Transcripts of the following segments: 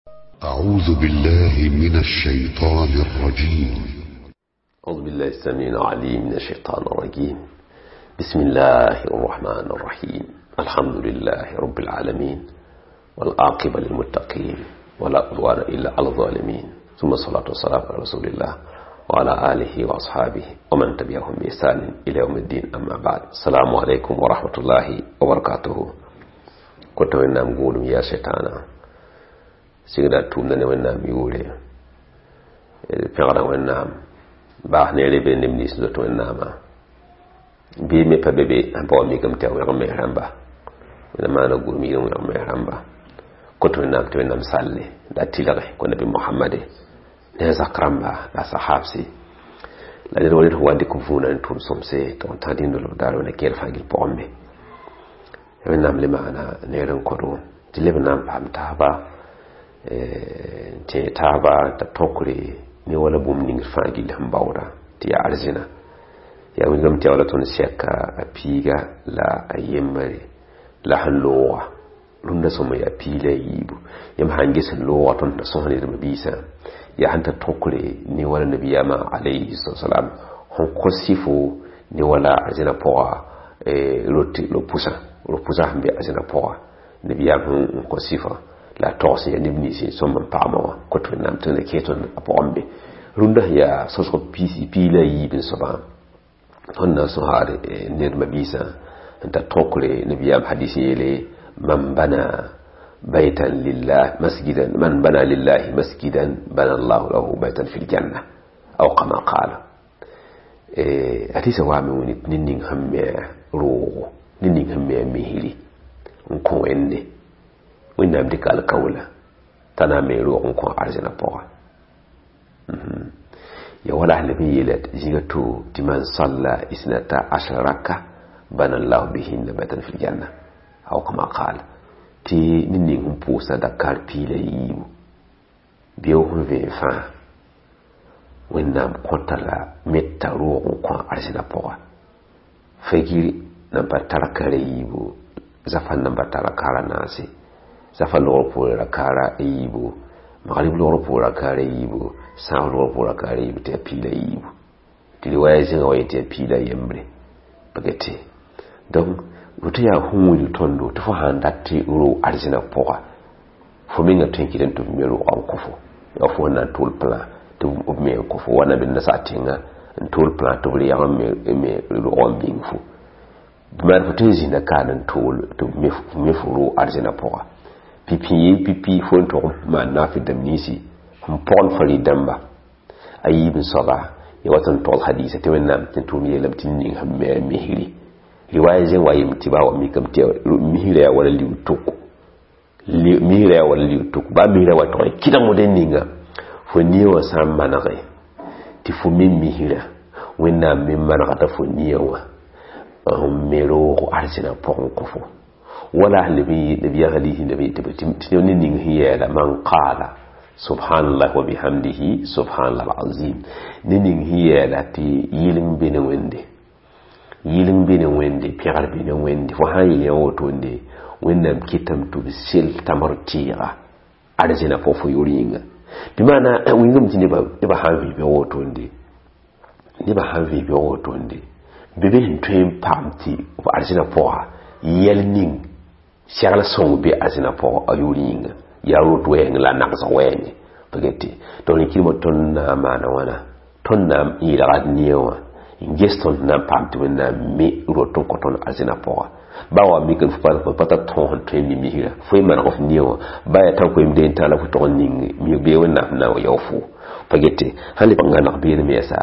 أعوذ بالله من الشيطان الرجيم. أعوذ بالله السميع العليم من الشيطان الرجيم. بسم الله الرحمن الرحيم. الحمد لله رب العالمين، والعاقبة للمتقين، ولا عدوان إلا على الظالمين، ثم الصلاة والسلام على رسول الله وعلى آله وأصحابه ومن تبعهم بإحسان إلى يوم الدين. أما بعد، السلام عليكم ورحمة الله وبركاته. كنت وإنام قولوا يا شيطانا sigda tʋʋmda ne Wẽnnaam yʋʋre, pẽgda Wẽnnaam baas neere be neb nins zoet Wẽnnaamã bɩ me pa be be sẽn pa wa mikame tɩ a wẽg mes rãmba. Wẽnnaam maana gũudum yɩl n wẽg mes rãmba kõt Wẽnnaam tɩ Wẽnnaam salle la a tɩlge kõ nabi Mohamade ne a zak rãmba la a sahabsi la ned wa ned sẽn wa n dɩk võona n tʋʋm sõmse tɩ n tã dĩndolb daar wẽnna kẽer fãa gill pʋgẽ me. Wẽnnaam le maana neer n kõdo tɩ leb n na n paam taaba n tẽ taaba t'a tõkre ne wala bũmb ning fãa gill sẽn baooda tɩ yaa arzẽna yaa wilgame tɩ ya wala tõnd sɛka a piiga la a yembre la sẽn looga rũndã sõma yaa piig la a yiibu. Yãmb sãn ges sẽn looga tõnd sẽn sõs ned biisã yaa sẽn ta tõkre ne wala nabiyaamã alayhi salam sẽn kõ sɩfo ne wala arzẽna pʋga ro-pʋsã sẽn be arzẽna pʋga nabiyaam sẽn kõ sɩfã la togs yaa neb nins n sõm n pagmã wã kõt Wẽnnaam tɩ na kẽes tõnd a pʋgẽ be. Rũndã sẽn yaa sõsg piig la a yiib n soabã tõnd na n sõsad ned mabiisã n tar tõkre nabiyaam hadis yeele man bana baytan lillah masjidan man bana lillahi masjidan bana allahu lahu baytan fil janna aw kama qala. Hadisa waame wẽni ned ning sẽn me roogo, ned ning sẽn me a misri n kõ Wẽnde, Wẽnnaam dɩka alkawla t'a na n me roog n kõ arzẽna pʋga. Ya wala sẽn leb n yeela zĩiga to tɩ man salla isnata ashara raka bana llahu bihinna baytan fil janna aw kama qala, tɩ ned ning sẽn pʋʋsa dakar piig la yiibu bɩ sẽn vẽen fãa Wẽnnaam kõta la meta roog n kõ arzẽna pʋga. Fagir nan pa tar kara yiibu, zafan nan pa tara kara naase, zafa logr poore rakaara a yiibu, magrib logr poore rakaara yiibu, sãas logr poore rakaara yiibu, tɩ yaa piig la yiibu. Tɩ riwaya zĩnga wa yetɩ yaa piig la yembre pa get. Donc woto yaa sẽn wilg tõndo tɩ fo sãn dat tɩ roog arzẽna pʋga fo menga tõe n kɩtame tɩ f me roogã n kõ fo, yaa fo sẽn na n tʋʋl plan tɩ b me n kõ fo wa nabiam nasaar tẽngã n tʋʋl plan tɩ b reeg n me roogã n bĩng fo maan fo tõe n zĩnda kaan n tʋʋl tɩ f me fo roog arzẽna pʋga. Pipi ye pipi fo n tʋg n maan naafɩ dãmb ninsi sẽn pɔgend farid dãmba a yiib n soaba ya wat n togs hadiisa tɩ Wẽnnaam tɩ tʋʋm yeelame tɩ ning sẽn me a misri. Riwaya zẽng wa yem tɩ ba wa mikame tɩ misrã yaa wala liu-tʋk, misrã yaa wala liu-tʋk baa misrã wa tʋg n kɩdg moden ninga fo nia wã sã n manege tɩ fo me misrã Wẽnnaam me manegda fo nia wã n me roog arzẽna pʋgẽ kõ fo. Wala nabiya hadisi nabi tɩ ned ning sẽn yɛɛla man qaala subhanallah wa bihamdihi subhanallah alazim, ned ning sẽn yɛɛla tɩ yɩleng be ne Wẽnde, yɩleng be ne Wẽnde, pẽgr be ne Wẽnde, fo sã n yeel yã wotonde Wẽnnaam kɩtame tɩ b sel tamr tɩɩga arzẽna pʋg fo yʋʋr yĩnga. Bɩ maana wĩngame tɩ nebã sãn vɩ bɩ wotonde, nebã sãn vɩ bɩ wotonde bɩ be sẽn tõe n paam tɩ b arzẽna pʋga yɛl ning segl sõng be arzẽna pʋgã a yʋʋr yĩnga yaa rot wɛɛngẽ la a nagsg wɛɛngẽ pa get. Donc rẽkɩrmã tõnd na n maana wãna tõnd na n yelgd neer wã n ges tõnd na n paam tɩ Wẽnnaam me rot n kõ tõnd arzẽna pʋga. Ba wa mikame fo pa tar tõog sẽn tõe n mi misrã fo y maneg f neer wã ba yaa tã koeem deen tã la fo tog n ning bee Wẽnnaam sẽn na n wa yao fo pa gete. Sãn lebg n gãneg beene me yɛsa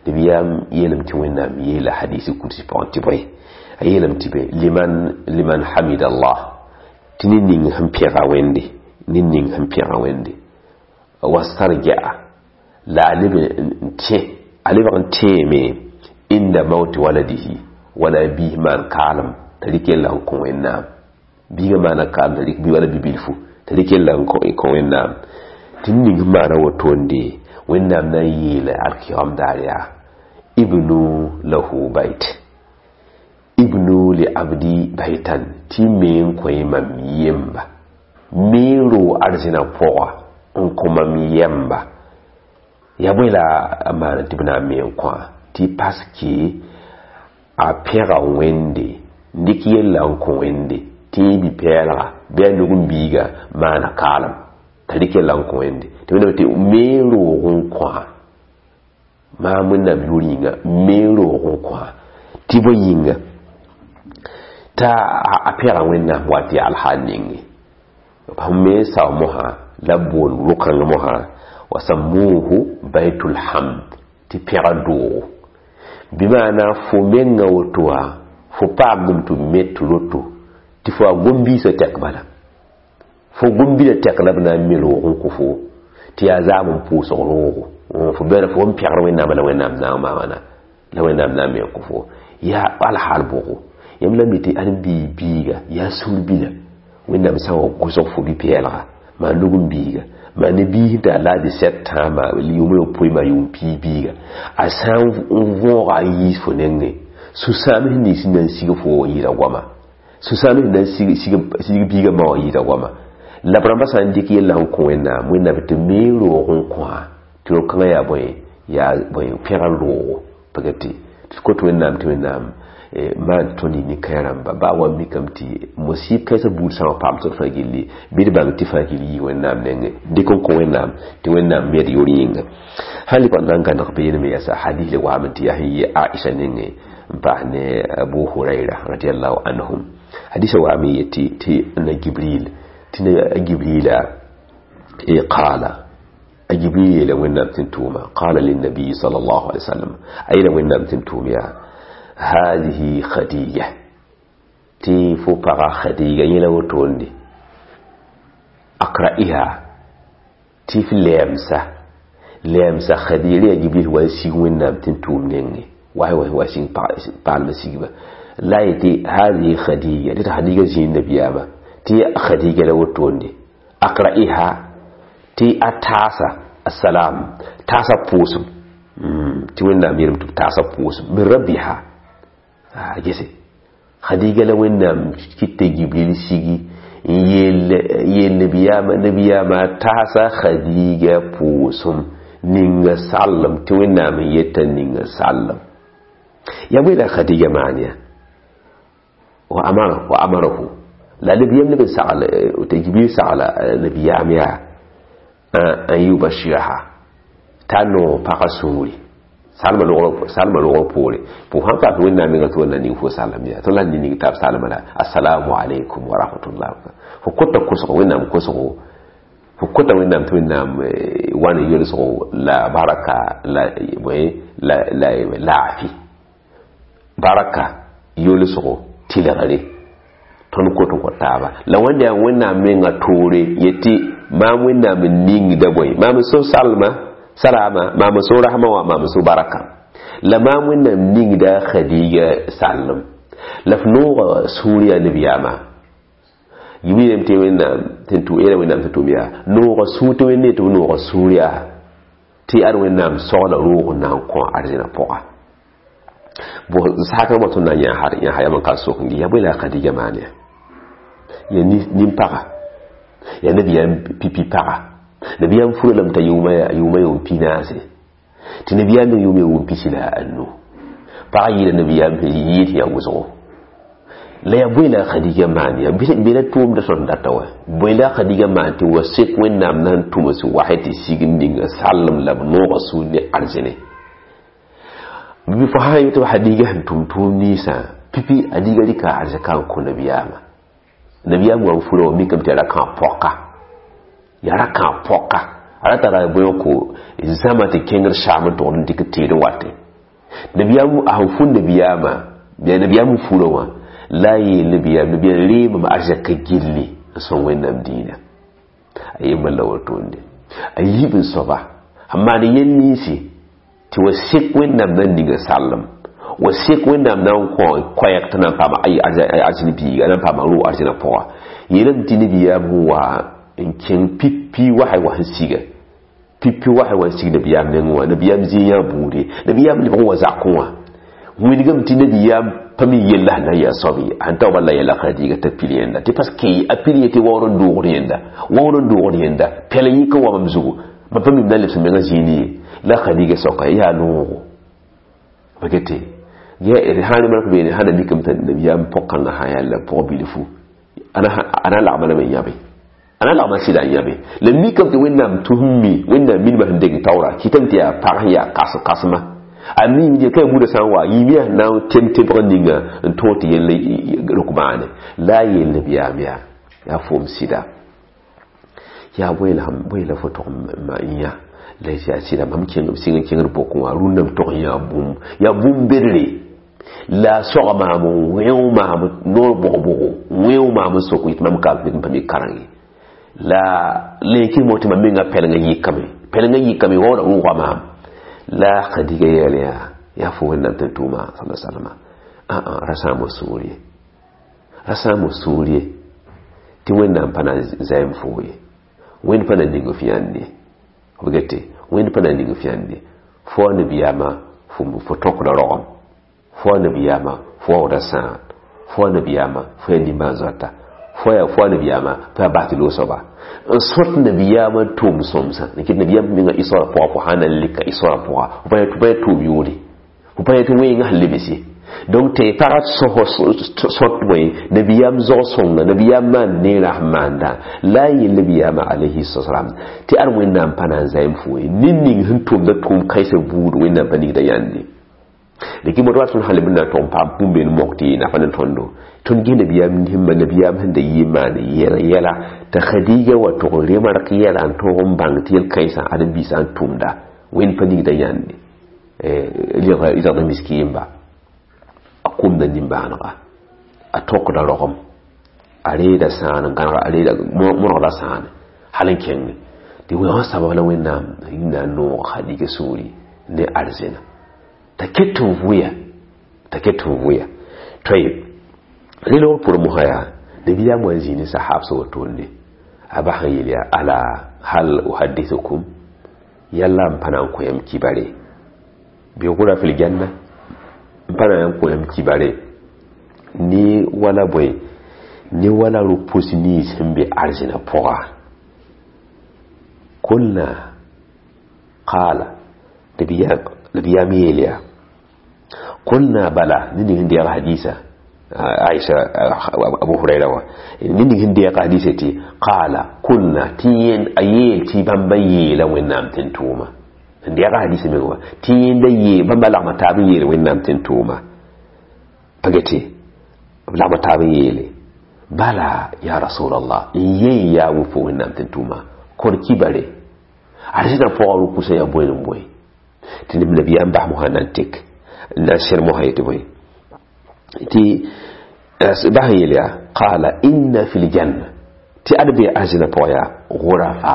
nabiyaam yeelame tɩ Wẽnnaam yeela hadisi kursi pʋgẽ tɩ bõe a yeelame tɩ be liman hamida Allah tɩ ned ning sẽn pẽga Wẽnde, ned ning sẽn pẽga Wẽnde wastarja'a la a leb n tẽ, a lebg n tẽeme inda mauti waladihi wala biis maan kaalem t'a rɩk yella n kõ Wẽnnaam, biigã maana kaalem t'a rɩk bɩ wala bi-bilfu t'a rɩk yella n kõ Wẽnnaam tɩ ned ning sẽn maana wotonde Wẽnnaam na n yeela alkiyam daar yaa ibnu lahu bayt ibnu li abdi baytan tɩ me n kõ mam yemba me n roog arzẽna pʋga. N kõ mam yɛmba ya bõe la a maan tɩ b na n me n kõ tɩ paske a pẽga Wẽnde n dɩk yella n kõ Wẽnde tɩ yẽ bi-pɛɛlga bɩ a nug n biiga maana kaalem t'a rɩk yella n kõ Wẽnde tɩ Wẽnnaam tɩ me roog n kõa maam Wẽnnaam yʋʋr yĩnga me roog n kõa tɩ bõe yĩnga t'a a pẽga Wẽnnaam wa tɩ yaa alhaal ninge b me sao mosã la b boond ro-kãng mosã wa sammuhu baitul hamd tɩ pẽga doogo bɩ maana fo menga woto wã fo paamdame tɩ met roto tɩ fo a gom-biisã tɛk bala fo gom-bida tɛk la b na n me roog n kõ fo tɩ yaa zaam n pʋʋsg roogo fo bɛla fo n pẽgr Wẽnnaamã la Wẽnnaam na n maamana la Wẽnnaam na n me n kõ fo yaa alhaal bʋgo yãmb la mi tɩ ãdem-biig biiga yaa sũur-bila Wẽnnaam sã n wa gʋsg fo bi-pɛɛlga maa nug n biiga maa ne biis t'a la 17 tã maa yʋʋma yopoe maa yʋʋm piig biiga a sã n võoga a yiis fo nengẽ sũ-sãam sẽn nins sẽn na n sig fo wã yɩɩda goama sũ-sãam sẽn na n sig biigã ma wã yɩɩda goama la b rãmbã sã n dɩk yella n kõ Wẽnnaam Wẽnnaam tɩ me roog n kõa tɩ ro-kãngã yaa bõe yaa bõe pẽgr roogo pagã tɩ kot Wẽnnaam tɩ Wẽnnaam maan tõnd yɩ nin-kãens rãmba baa wa mikame tɩ musib kãensã buud sã n wa paam tõnd fãa gilli bɩ d bãng tɩ fãa gill yii Wẽnnaam nengẽ dɩk n kõ Wẽnnaam tɩ Wẽnnaam med yor yĩnga sã n lebg n na n gãneg beene yɛsa hadis le waame tɩ yaa sẽn yɩ Aisha nengẽ n paas ne Abu Huraira radiallahu anhum hadisa waame yetɩ tɩ na Gibril tɩ na Gibrila qala Jibril yeela Wẽnnaam tɩ n tʋʋma qala linnabiyi sal allahu alai wasallam a yeela Wẽnnaam tɩ n tʋʋm yaa هذه خديجة تي فوق خديجة يلا وتوندي أقرأها تي في لامسة لامسة خديجة يجيب له واسي وين تنتوم نيني واي واي واسي بالمسيبة لا يتي هذه خديجة دي خديجة زين النبي أما تي خديجة لو وتوندي أقرأها تي أتاسا السلام تاسا بوسم تي وين ناميرم تاسا بوسم من ربها gese khadiga la Wẽnnaam kɩta Gibril sigi n yeel nabiyaamã taasa Khadiga pʋʋsem ninga sallem tɩ Wẽnnaam n yeta ninga sallem yaa bõe la Khadiga maan ya wa amarahu la nabiyaam leb n sagl tɩ Gibril sagla nabiyaam yaa an yubashiraha t'a noog pagã sũuri salma logr poore pʋ sãn paam tɩ Wẽnnaam menga tɩ wa na ning fo salem yaa tõnd la ning taab salma la assalamu alaikum wa rahmatullah fo kota kosgo Wẽnnaam kosgo fo kota Wẽnnaam tɩ Wẽnnaam wa ne yolsgo la baraka la la la laafi baraka yolsgo tɩlgre tõnd kot n kõ taaba la wẽnda yaa Wẽnnaam menga toore yetɩ maam Wẽnnaam n ningda bõe maam n so salma salama maam so rahma wa maam so baraka la maam Wẽnnaam ningda Khadiga sallem la f nooga sũur yaa nabiyaamã yibril tɩ Wẽnnaam tɩ tʋ yeela Wẽnnaam tɩ tʋm yaa nooga sũur tɩ Wẽnde tɩ b nooga sũur yaa tɩ ad Wẽnnaam sogla roog n na n kõ arzẽna pʋga bõ sakã wã tõnd na n yã yam n ka sok n yaa bõe la Khadiga maan ya yaa nin-paga yaa nabiyaam pipi paga nabiyaam fura lame t'a yʋʋma yʋʋm pinaase tɩ nabiyaam me yʋʋm yʋʋm pisi la a anu pagã yɩɩla nabiyaam sẽn yɩɩd yaa wʋsgo la yaa bõe la Khadiga maan ya bɩ la tʋʋmda tõnd data wa bõe la Khadiga maan tɩ wa sek Wẽnnaam na n tʋms wasɩ tɩ sig n ninga sallem la b nooga sũur ne arzẽne bɩ fo sã n yetɩ Khadiga sẽn tʋm tʋʋm ninsã pipi Khadiga rɩka arzɛka n kõ nabiyaamã nabiyaam wa n fura wa mikame tɩ yaa ra-kãab pɔka yaa ra-kãab pɔka a ra tara bõe ko zãma tɩ kẽngd saam n togd n dɩk teed n wate nabiyaam a sẽn fu nabiyaamã yaa nabiyaam n fura wã la yeel nabiyaam nabiyaam reemame arzɛka gilli n sõng Wẽnnaam diinã a yembã la wotonde a yiib n soaba sẽn maan yel ninsi tɩ wa sek Wẽnnaam na n ninga sallem wa sek Wẽnnaam na n kõ koɛɛg tɩ na n paama arzẽn biiga na n paama roog arzẽna pʋga yeelame tɩ nabiyaam sẽn wa n kẽng pipi wasã wa sẽn siga pipi wasã wa n sig nabiyaam nengẽ wã nabiyaam zĩig yã buude nabiyaam lebg n wa zakẽ wã wilgame tɩ nabiyaam pa mi yella sẽn na n yaa soab ye sẽn ta bala yɛla Khadiga t'a pil yẽnda tɩ parce que a pil yetɩ waoor n doogd yẽnda waoor n doogd yẽnda pɛl n yik n wa mam zugu mam pa mim na lebs menga zĩini ye la Khadiga soka yaa noogo bakete sã ne mak beene sã na mikame t'a nabiyaam pʋg-kãngã sã yaa la pʋg bilfu ana lagma lame n yãbe ana lagma sɩda n yãbe la mikame tɩ Wẽnnaam tʋsem mi Wẽnnaam minimã sẽn deng taoora kɩtame tɩ yaa pag sẽn yaa kas-kasma a mi je kai buda sã n wa yĩm na n tem tebg ninga n tõog tɩ yell rok maane la a yeel nabiyaam yaa yaa foom sɩda yaa bõe la fo tog n yã la yaa sɩda mam sɩng n kẽngd bokẽ wã rũnname tog n yaa bũmb bedre la soga maam wẽo maam noor bʋg-bʋgo wẽo maam n sok yetɩ mam ka pa mi kareng ye la lenkɩ mo tɩ mam menga pɛlengã yɩkame pɛlengã yɩkame waoodã rʋʋga maam la Khadiga yɛl yaa yaa fo Wẽnnaam tɩ tʋʋma sala salama ra sãam sũur ye ra sãam sũur ye tɩ Wẽnnaam pa na n zaɛm foo ye Wẽnd pa na ning f yãnd ye f gete Wẽnd pa na ning f yãnd ye fo a nabiyaamã fo tõkda rogem fo a nabiyaamã fo waooda sãan fo a nabiyaamã fo yaa nimbãan-zoata fo a nabiyaamã fo yaa bas tɩ loog soaba n sõt nabiyaamã tʋʋm sõmsã n kɩt nabiyaam menga isoorã pʋga fo sã na n lika isoorã pʋga fo pa yaa tʋʋm yʋʋre fo pa yaa tɩ wẽengã sẽn lebs ye donc tɩ pagã sõt bõe nabiyaam zog-sõnga nabiyaam maan neerã sẽn maanda la a yel nabiyaamã alayhi salam tɩ ad Wẽnnaam pa na n zaɛm fo ye ned ning sẽn tʋmda tʋʋm kãensã buud Wẽnnaam pa ningda yãnde la moto wa tõnd sã leb n na n tʋg n paam bũmb mok tɩ nafa ne tõndo tõnd ges nabiyaam himma nabiyaam sẽn da yɩ maan yɛla t'a Khadiga wa tʋg n remark yɛla n tõog n bãng tɩ yel-kãensã ãdem-biisã n tʋmda Wẽnd pa ningda yãnde zagd miskiimba a kʋmda nimbãanega a tõkda rogem a reeda sãan n gãneg a reeda mõnegda sãane hal n kẽng tɩ wã sabab la Wẽnnaam na n noog Khadiga sũuri ne arzẽna t'a ket n vʋya t'a ket n vʋya toy rẽ loogr pʋrẽ mosã yaa nabiyaam wa n zĩig ne sahaabsã wotoonde a bas n yeel yaa ala hal uhadithukum yalla n pa na n kõ yãmb kibare bɩ gʋra fil janna n pa na n kõ yãmb kibare ne wala bõe ne wala rʋ-pʋs nins sẽn be arzẽna pʋga kulna qaala nabiyaam yeel yaa kulna bala ne ning sẽn deeg hadisa Aisha Abu Huraira wa ne ning sẽn deeg hadisa tɩ qaala kulna tɩ yẽnd a yeel tɩ bãmba yeela Wẽnnaam tɩ n tʋʋma sẽn deeg hadisa meng wã tɩ yẽnda yeel bãmba lagma taab n yeel Wẽnnaam tɩ n tʋʋma pa gete b lagma taab n yeele bala ya rasulallah n yen yaa wʋ fo Wẽnnaam tɩ n tʋʋma kor kibare arzẽna pʋgã rʋ-pʋsã yaa bõe n bõe tɩ nabiyaam bas mosã na n tek n na n sẽr mosã yetɩ bõe tɩ bas n yeel yaa qaala inna fi ljanna tɩ ad be arzẽna pʋgã yaa gʋrafa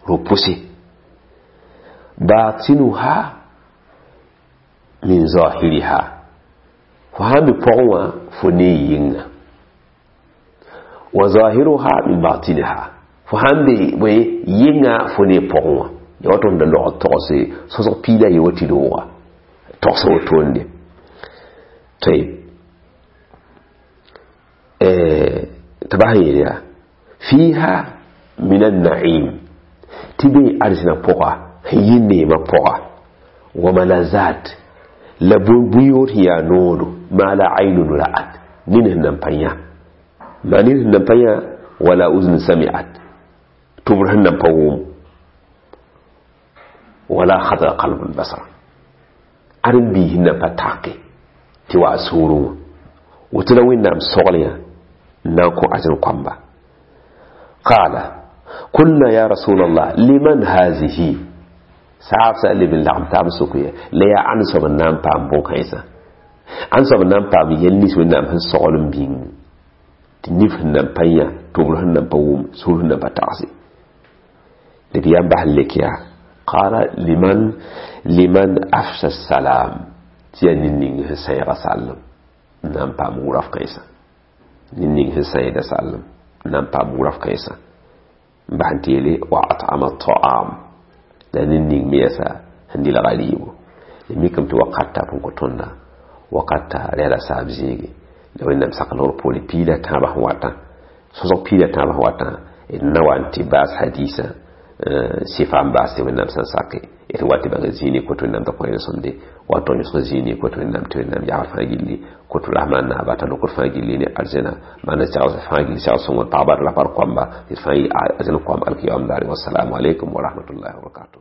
rʋ-pʋse batinuha min zahiriha fo sãn be pʋgẽ wã fo ne yɩnga wa zahiruha min batiniha fo sãn be bõe yɩnga fo ne pʋgẽ wã ya wato n da log togse sõsg piila ye wa tɩ rooga togsã wotoonde tɩ tɩ bas n yeel yaa fiiha min annaim tɩ be arzẽna pʋga sẽn yɩ neemã pʋga wa malazat la bũn-yood sẽn yaa noodo ma la aynun ra'at ned sẽn nan pa yã maa ned sẽn nan pa yã wala uzn sami'at tʋbr sẽn nan pa wʋm wala khatara qalbun basar ãdem-biis sẽn nan pa take tɩ wa a soorẽ wã woto la Wẽnnaam sogl yã n na n kõ arzẽn koamba qaala kulna ya rasulallah liman hazihi saabsã leb n lagem taab n sok ya la yaa ãnd soab n na n paam bõn-kãensã ãnd soab n na n paam yɛl nins Wẽnnaam sẽn sogl n bĩng tɩ nif sẽn nan pa yã tʋbr sẽn nan pa wʋm sũur sẽn nan pa tagse nabiyaam bas n lek yaa qala liman afsha salam tɩ yaa ned ning sẽn sãeega sallem n na n paam wʋraf kãensã ned ning sẽn sãeeda sallem n na n paam wʋraf kãensã n bas n tɩ yeele wa at'ama ta'am la ned ning me yɛsa sẽn dɩlga rɩɩbo la mikame tɩ wakat tap n kõ tõnda Wakat t'a rɛla saab zĩige la Wẽnnaam sak logr poore piig la tãabã sẽn watã, sõsg piig la tãabã sẽn watã, d na wa n tɩ baas hadiisã sɩfa n baas tɩ Wẽnnaam sẽn sake d wa tɩ bãng zĩig ne kot Wẽnnaam t'a kõ sõmde wa tɩ yõsg zĩig ne kot Wẽnnaam tɩ Wẽnnaam yagl fãa gilli kot Rahman naaba t'a lokd fãa gilli ne arzẽna maana segs fãa gilli segs sõng pagba la par koamba tɩ d fãa yɩ arzẽn koam alkiyam daare. Wassalamu alaikum wa rahmatullahi wa barakatuh.